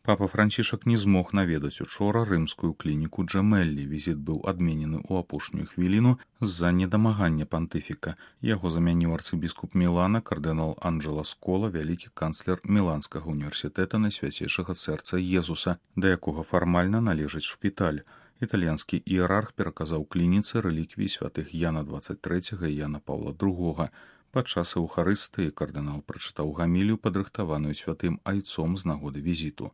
Папа Францішак не змог наведаць учора рымскую клініку Джемеллі. Візіт быў адменены ў апошнюю хвіліну з-за недамагання пантыфіка. Яго замяніў арцыбіскуп Мілана, кардынал Анджела Скола, вялікі канцлер Міланскага універсітэта Найсвяцейшага сэрца Езуса, да якога фармальна належыць шпіталь. Італьянскі іерарх пераказаў клініцы рэліквіі святых Яна 23 і Яна Паўла II. Падчас эўхарыстыі кардынал прачытаў гамілію, падрыхтаваную святым айцом з нагоды візіту.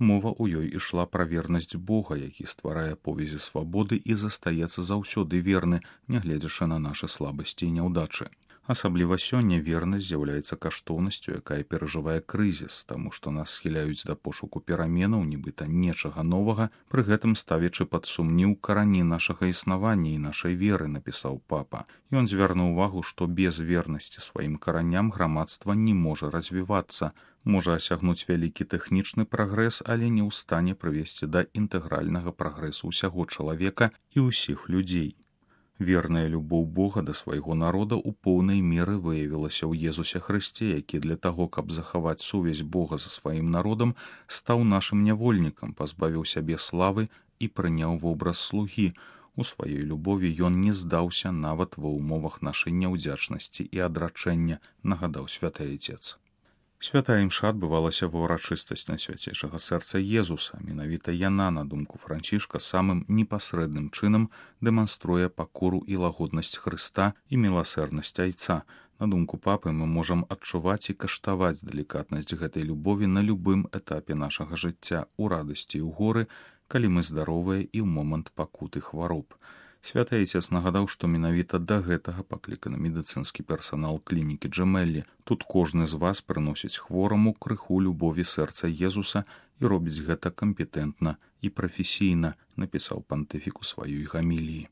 Мова ў ёй ішла пра вернасць Бога, які стварае повязі свабоды і застаецца заўсёды верны, нягледзячы на нашы слабасці і няўдачы. Асабліва сёння вернасць з'яўляецца каштоўнасцю, якая перажывае крызіс, таму што нас схіляюць да пошуку пераменаў, нібыта нечага новага, пры гэтым ставячы пад сумнеў карані нашага існавання і нашай веры, напісаў папа. Ён звярнуў увагу, што без вернасці сваім караням грамадства не можа развівацца, можа асягнуць вялікі тэхнічны прагрэс, але не ў стане прывесці да інтэгральнага прагрэсу ўсяго чалавека і ўсіх людзей. Верная любоў Бога да свайго народа ў поўнай меры выявілася ў Езусе Хрысце, які для таго, каб захаваць сувязь Бога за сваім народам, стаў нашым нявольнікам, пазбавіў сябе славы і прыняў вобраз слугі. У сваёй любові ён не здаўся нават ва ўмовах нашай няўдзячнасці і адрачэння, нагадаў святы айцец. Святая імша адбывалася ва ўрачыстасць Найсвяцейшага сэрца Езуса. Менавіта яна, на думку Францішка, самым непасрэдным чынам дэманструе пакору і лагоднасць Хрыста і міласэрнасць айца. На думку папы, мы можам адчуваць і каштаваць далікатнасць гэтай любові на любым этапе нашага жыцця, у радасці і ў горы, калі мы здаровыя і ў момант пакуты хвароб. Святы айцец нагадаў, што менавіта да гэтага пакліканы медыцынскі персанал клінікі Джемеллі. Тут кожны з вас прыносіць хвораму крыху любові сэрца Езуса і робіць гэта кампетэнтна і прафесійна, напісаў пантыфік у сваёй гаміліі.